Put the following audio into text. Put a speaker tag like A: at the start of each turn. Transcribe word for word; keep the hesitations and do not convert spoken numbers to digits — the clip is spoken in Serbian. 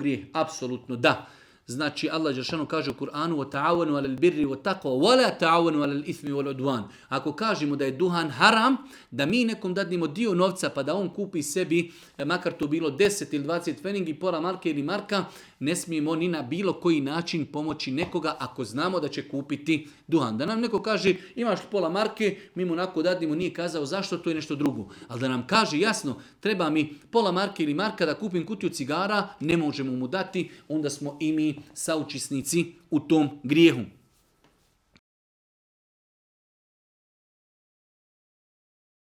A: grijeh? Apsolutno da. Znači Allah dželešanu kaže u Kur'anu: "Wa ta'awanu 'alal birri wat taqwa wa la ta'awanu 'alal ithmi wal 'udwan." Ako kažemo da je duhan haram, da mi nekom dadnemo dio novca pa da on kupi sebi, makar to bilo deset ili dvadeset feningi, pola marke ili marka, ne smijemo ni na bilo koji način pomoći nekoga ako znamo da će kupiti duhan. Da nam neko kaže imaš pola marke, mi mu onako dadnemo, nije kazao zašto, to je nešto drugo. Ali da nam kaže jasno, treba mi pola marke ili marka da kupim kutiju cigara, ne možemo mu dati, onda smo i mi saučesnici u tom grijehu.